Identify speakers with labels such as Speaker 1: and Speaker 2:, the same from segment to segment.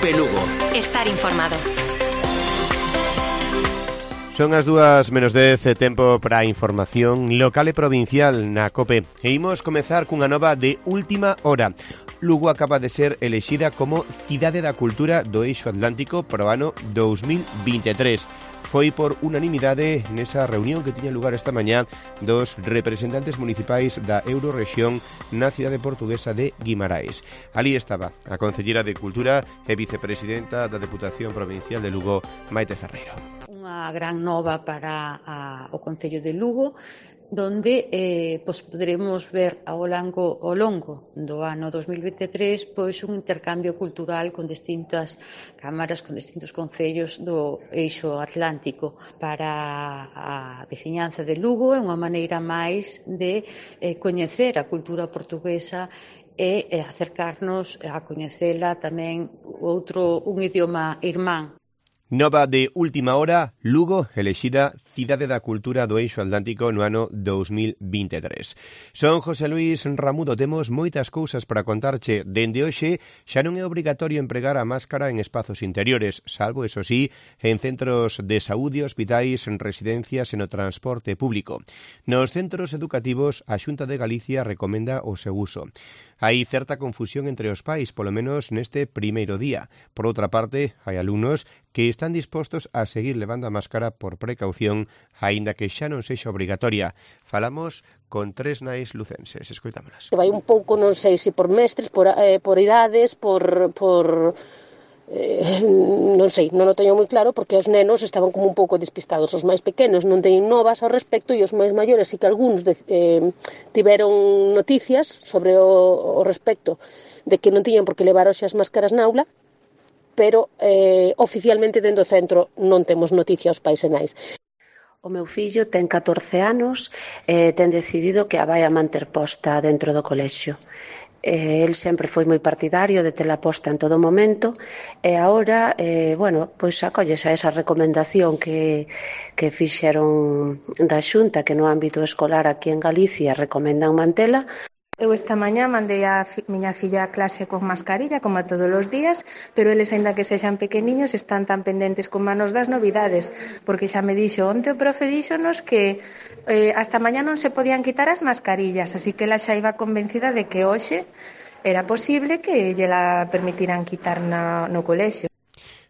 Speaker 1: COPE Lugo.
Speaker 2: Estar informado.
Speaker 3: Son as 2:10, tempo para a información local e provincial na COPE. E imos comezar cunha nova de última hora. Lugo acaba de ser elexida como Cidade da Cultura do Eixo Atlántico para o ano 2023. Foi por unanimidade nesa reunión que tiña lugar esta mañá dos representantes municipais da Eurorrexión na cidade portuguesa de Guimarães. Alí estaba a Concellera de Cultura e vicepresidenta da Deputación Provincial de Lugo, Maite Ferreiro.
Speaker 4: Unha gran nova para o Concello de Lugo, donde poderemos ver ao longo do ano 2023 un intercambio cultural con distintas cámaras, con distintos concellos do Eixo Atlántico. Para a veciñanza de Lugo é unha maneira máis de coñecer a cultura portuguesa e acercarnos a coñecela tamén un idioma irmán.
Speaker 3: Nova de última hora, Lugo elexida Cidade da Cultura do Eixo Atlántico no ano 2023. Son José Luis Ramudo, temos moitas cousas para contarche. Dende hoxe xa non é obrigatorio empregar a máscara en espazos interiores, salvo, eso sí, en centros de saúde, hospitais, en residencias e no transporte público. Nos centros educativos, a Xunta de Galicia recomenda o seu uso. Hai certa confusión entre os pais, polo menos neste primeiro día. Por outra parte, hai alumnos que están dispostos a seguir levando a máscara por precaución, aínda que xa non sexa obrigatoria. Falamos con tres nais lucenses. Escoitámolas.
Speaker 5: Vai un pouco, non sei se por mestres, por idades, non sei, non o teño moi claro, porque os nenos estaban como un pouco despistados. Os máis pequenos non teñen novas ao respecto e os máis maiores sí que algúns tiveron noticias sobre o respecto de que non tiñan por que levar hoxe as máscaras na aula, pero oficialmente dentro do centro non temos noticia aos pais e nais.
Speaker 6: O meu fillo ten 14 anos e ten decidido que a vai a manter posta dentro do colexio. El sempre foi moi partidario de tela posta en todo momento e agora, pois acollese a esa recomendación que fixeron da Xunta, que no ámbito escolar aquí en Galicia recomendan mantela.
Speaker 7: Eu esta mañá mandei a miña filla a clase con mascarilla, como a todos os días, pero eles, aínda que sexan pequeniños, están tan pendentes como manos das novidades, porque xa me dixo onte o profe díxonos que hasta mañá non se podían quitar as mascarillas, así que ela xa iba convencida de que hoxe era posible que lla permitiran quitar no colexio.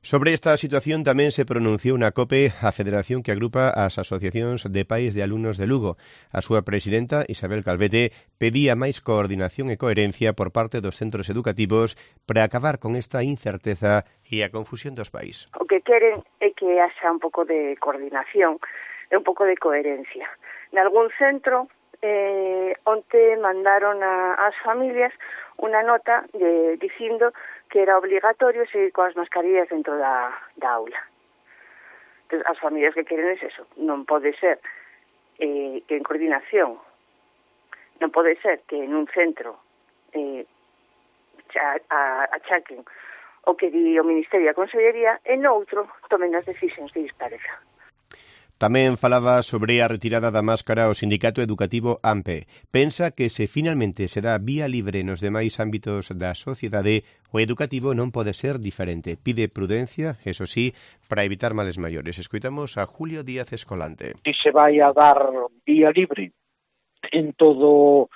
Speaker 3: Sobre esta situación tamén se pronunciou na COPE a federación que agrupa as asociacións de pais de alumnos de Lugo. A súa presidenta, Isabel Calvete, pedía máis coordinación e coherencia por parte dos centros educativos para acabar con esta incerteza e a confusión dos pais.
Speaker 8: O que queren é que haxa un pouco de coordinación e un pouco de coherencia. Nalgún centro, onte mandaron ás familias unha nota dicindo que era obligatorio seguir coas mascarillas dentro da aula. Entón, as familias que queren é eso. Non pode ser que en coordinación, non pode ser que en un centro achaquen o que di o Ministerio e a Consellería e no outro tomen as decisións de dispareza.
Speaker 3: Tamén falaba sobre a retirada da máscara o Sindicato Educativo AMPE. Pensa que se finalmente se dá vía libre nos demais ámbitos da sociedade, o educativo non pode ser diferente. Pide prudencia, eso sí, para evitar males maiores. Escoitamos a Julio Díaz Escolante.
Speaker 9: Si se vai a dar vía libre en todos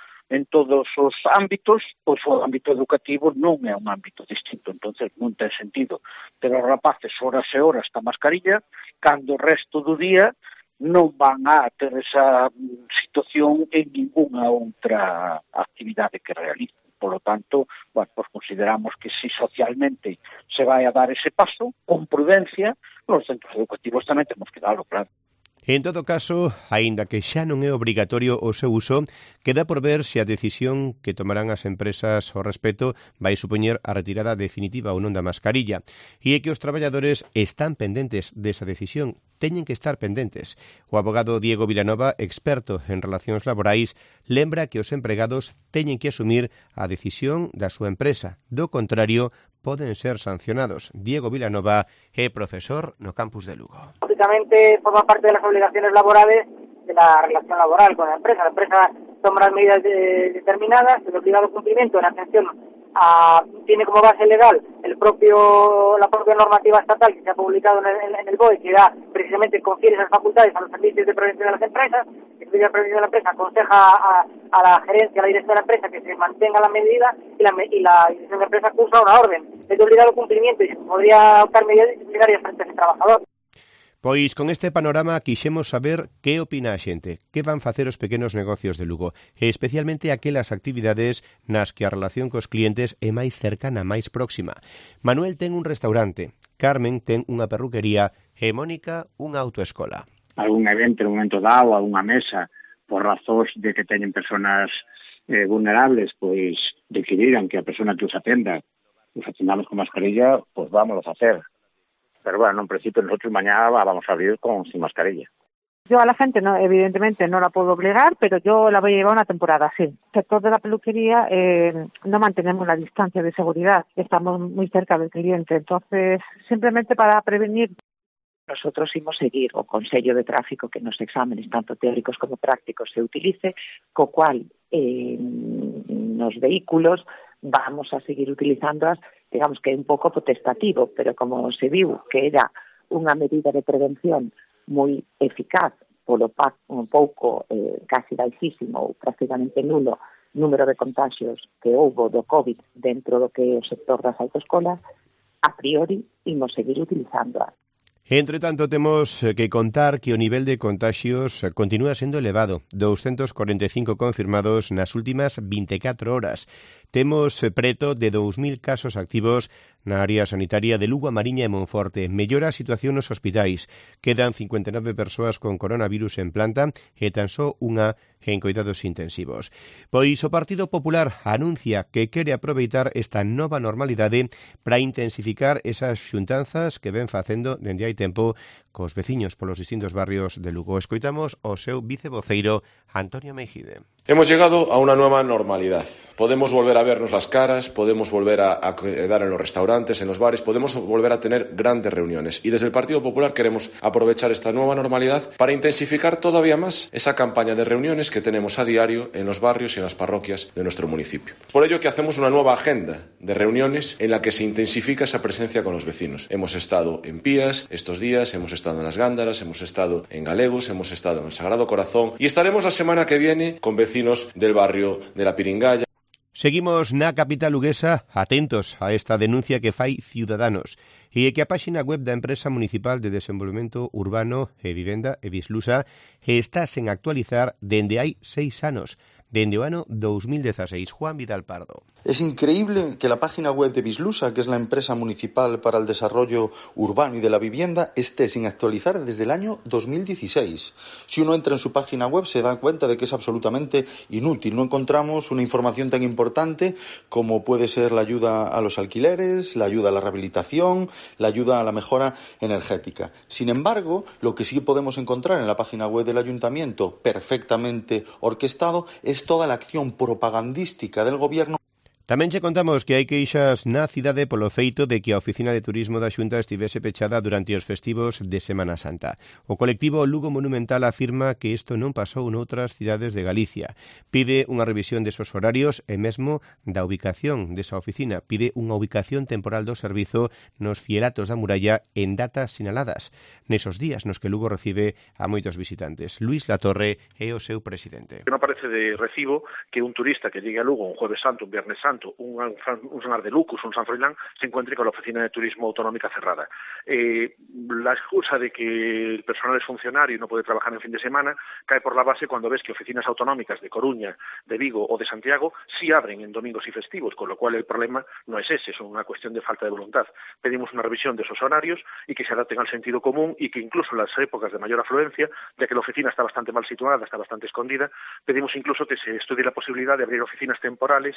Speaker 9: os ámbitos, pois o ámbito educativo non é un ámbito distinto, entonces non ten sentido ter os rapaces horas e horas esta mascarilla cando o resto do día non van a ter esa situación en ninguna outra actividade que realicen. Por lo tanto, pues consideramos que si socialmente se vai a dar ese paso, con prudencia, os centros educativos tamén temos que darlo, claro.
Speaker 3: En todo caso, aínda que xa non é obrigatorio o seu uso, queda por ver se a decisión que tomarán as empresas ao respecto vai supoñer a retirada definitiva ou non da mascarilla. E é que os traballadores están pendentes desa decisión, teñen que estar pendentes. O abogado Diego Vilanova, experto en relacións laborais, lembra que os empregados teñen que asumir a decisión da súa empresa. Do contrario, poden ser sancionados. Diego Vilanova é profesor no campus de Lugo.
Speaker 10: Lógicamente forma parte de las obligaciones laborales de la relación laboral con la empresa. La empresa toma las medidas determinadas, el obligado cumplimiento en atención tiene como base legal la propia normativa estatal que se ha publicado en el BOE, que da precisamente confiere esas facultades a los servicios de prevención de las empresas. El servicio de prevención de la empresa aconseja a la gerencia, a la dirección de la empresa, que se mantenga la medida, y la dirección de la empresa acusa una orden. Es de obligado cumplimiento y se podría adoptar medidas disciplinarias frente a ese trabajador.
Speaker 3: Pois con este panorama quixemos saber que opina a xente, que van facer os pequenos negocios de Lugo, e especialmente aquelas actividades nas que a relación cos clientes é máis cercana, máis próxima. Manuel ten un restaurante, Carmen ten unha perruquería e Mónica unha autoescola.
Speaker 9: Algún evento, un momento dado, algunha mesa, por razóns de que teñen personas vulnerables, pois decidiran que a persona que os atenda os atendamos con mascarilla, pois vámonos a hacer. Pero bueno, en principio nosotros mañana vamos a abrir sin mascarilla.
Speaker 1: Yo a la gente, no, evidentemente, no la puedo obligar, pero yo la voy a llevar una temporada, sí. El sector de la peluquería no mantenemos la distancia de seguridad, estamos muy cerca del cliente, entonces simplemente para prevenir.
Speaker 2: Nosotros imos seguir o Consello de Tráfico que nos exámenes, tanto teóricos como prácticos, se utilice, co cual nos vehículos vamos a seguir utilizándolas, digamos que é un pouco potestativo, pero como se viu que era unha medida de prevención moi eficaz polo un pouco casi baixísimo ou prácticamente nulo número de contagios que houbo do COVID dentro do que é o sector das autoescolas, a priori imos seguir utilizándolas.
Speaker 3: Entre tanto, temos que contar que o nivel de contagios continúa sendo elevado, 245 confirmados nas últimas 24 horas. Temos preto de 2.000 casos activos na área sanitaria de Lugo, a Mariña e Monforte. Mellora a situación nos hospitais. Quedan 59 persoas con coronavirus en planta e tan só unha en coidados intensivos. Pois o Partido Popular anuncia que quere aproveitar esta nova normalidade para intensificar esas xuntanzas que ven facendo dende hai tempo cos veciños polos distintos barrios de Lugo. Escoitamos o seu vicevoceiro Antonio Meijide.
Speaker 11: Hemos llegado a una nueva normalidad. Podemos volver a vernos las caras, podemos volver a quedar en los restaurantes, en los bares, podemos volver a tener grandes reuniones. Y desde el Partido Popular queremos aprovechar esta nueva normalidad para intensificar todavía más esa campaña de reuniones que tenemos a diario en los barrios y en las parroquias de nuestro municipio. Por ello que hacemos una nueva agenda de reuniones en la que se intensifica esa presencia con los vecinos. Hemos estado en Pías estos días, hemos estado en Las Gándaras, hemos estado en Galegos, hemos estado en el Sagrado Corazón y estaremos la semana que viene con vecinos del barrio de la Piringalla.
Speaker 3: Seguimos na capital luguesa atentos a esta denuncia que fai Ciudadanos e que a páxina web da Empresa Municipal de Desenvolvemento Urbano e Vivenda, Bislusa, está sen actualizar dende hai 6 anos. Dende o ano 2016. Juan Vidal Pardo.
Speaker 12: Es increíble que la página web de Bislusa, que es la empresa municipal para el desarrollo urbano y de la vivienda, esté sin actualizar desde el año 2016. Si uno entra en su página web se da cuenta de que es absolutamente inútil. No encontramos una información tan importante como puede ser la ayuda a los alquileres, la ayuda a la rehabilitación, la ayuda a la mejora energética. Sin embargo, lo que sí podemos encontrar en la página web del ayuntamiento, perfectamente orquestado, es toda la acción propagandística del gobierno.
Speaker 3: Tamén che contamos que hai queixas na cidade polo feito de que a Oficina de Turismo da Xunta estivese pechada durante os festivos de Semana Santa. O colectivo Lugo Monumental afirma que isto non pasou noutras cidades de Galicia. Pide unha revisión desos horarios e mesmo da ubicación desa oficina. Pide unha ubicación temporal do servizo nos fielatos da muralla en datas sinaladas, nesos días nos que Lugo recibe a moitos visitantes. Luis Latorre é o seu presidente.
Speaker 13: Non parece de recibo que un turista que llegue a Lugo un Jueves Santo, un Viernes Santo, un Sanar de Lucus, un San Froilán, se encuentre con la Oficina de Turismo Autonómica cerrada. La excusa de que el personal es funcionario y no puede trabajar en fin de semana cae por la base cuando ves que oficinas autonómicas de Coruña, de Vigo o de Santiago sí abren en domingos y festivos, con lo cual el problema no es ese, es una cuestión de falta de voluntad. Pedimos una revisión de esos horarios y que se adapten al sentido común y que incluso en las épocas de mayor afluencia, ya que la oficina está bastante mal situada, está bastante escondida, pedimos incluso que se estudie la posibilidad de abrir oficinas temporales.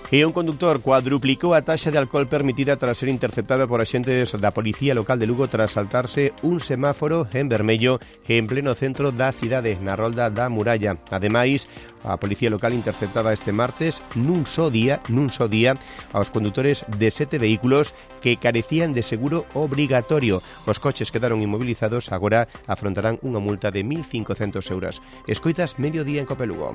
Speaker 3: E un conductor cuadruplicou a taxa de alcohol permitida tras ser interceptado por axentes da Policía Local de Lugo tras saltarse un semáforo en vermello en pleno centro da cidade, na rolda da Muralla. Ademais, a Policía Local interceptaba este martes nun só día aos condutores de 7 vehículos que carecían de seguro obrigatorio. Os coches quedaron inmovilizados, agora afrontarán unha multa de 1.500 euros. Escoitas Mediodía en Cope Lugo.